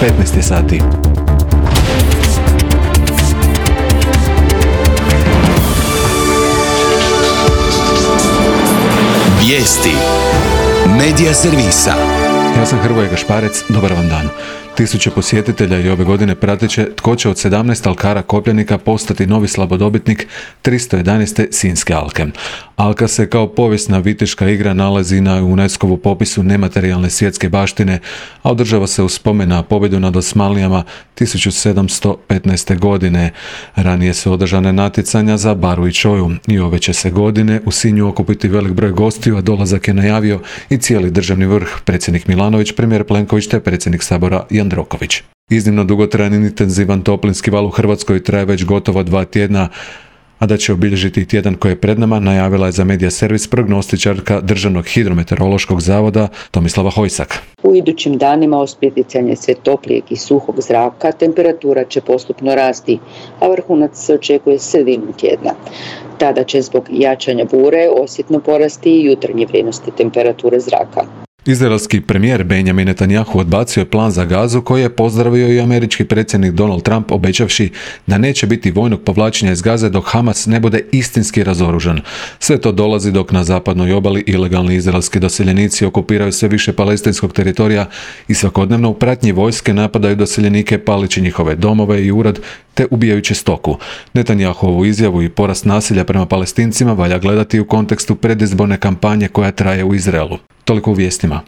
15 je sati. Vijesti Medija servisa. Ja sam Hrvoje Gašparec, dobar vam dan. Tisuće posjetitelja i ove godine prateće tko će od 17 alkara Kopljanika postati novi slabodobitnik 311. Sinjske alke. Alka se kao povijesna viteška igra nalazi na UNESCO-vu popisu nematerijalne svjetske baštine, a održava se u spomen na pobjedu nad Osmanlijama 1715. godine. Ranije su održane natjecanja za baru i čoju i ove će se godine u Sinju okupiti velik broj gostiju, a dolazak je najavio i cijeli državni vrh, predsjednik Milanović, premijer Plenković te predsjednik Sabora Jandroković. Iznimno dugotrajan i intenzivan toplinski val u Hrvatskoj traje već gotovo 2 tjedna, a da će obilježiti tjedan koji je pred nama najavila je za medija servis prognostičarka Državnog hidrometeorološkog zavoda Tomislava Hojsak. U idućim danima uz pritjecanje sve toplijeg i suhog zraka temperatura će postupno rasti, a vrhunac se očekuje sredinom tjedna. Tada će zbog jačanja bure osjetno porasti i jutarnje vrijednosti temperature zraka. Izraelski premijer Benjamin Netanjahu odbacio je plan za Gazu koji je pozdravio i američki predsjednik Donald Trump obećavši da neće biti vojnog povlačenja iz Gaze dok Hamas ne bude istinski razoružan. Sve to dolazi dok na zapadnoj obali ilegalni izraelski doseljenici okupiraju sve više palestinskog teritorija i svakodnevno u pratnji vojske napadaju doseljenike palići njihove domove i urod te ubijajući stoku. Netanjahovu izjavu i porast nasilja prema Palestincima valja gledati u kontekstu predizborne kampanje koja traje u Izraelu. Toliko u vijestima.